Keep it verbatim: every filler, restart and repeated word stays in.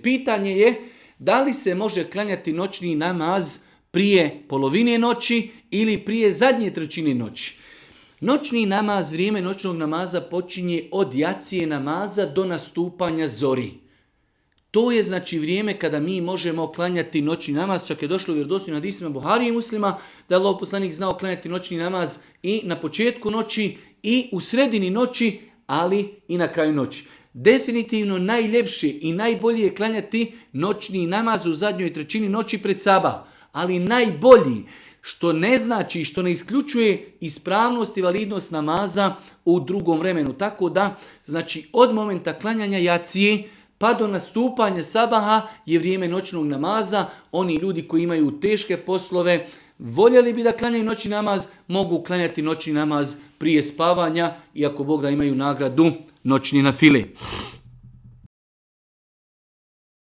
Pitanje je da li se može klanjati noćni namaz prije polovine noći ili prije zadnje trećine noći. Noćni namaz, vrijeme noćnog namaza počinje od jacije namaza do nastupanja zori. To je znači vrijeme kada mi možemo klanjati noćni namaz, čak je došlo u vjerodostojnim hadisima Buharije i Muslima da je Allahov poslanik znao klanjati noćni namaz i na početku noći i u sredini noći, ali i na kraju noći. Definitivno najljepše i najbolje je klanjati noćni namaz u zadnjoj trećini noći pred sabah, ali najbolji, što ne znači, što ne isključuje ispravnost i validnost namaza u drugom vremenu. Tako da, znači od momenta klanjanja jacije pa do nastupanja sabaha je vrijeme noćnog namaza. Oni ljudi koji imaju teške poslove, voljeli bi da klanjaju noćni namaz, mogu klanjati noćni namaz prije spavanja, iako Bog da imaju nagradu noćni nafile.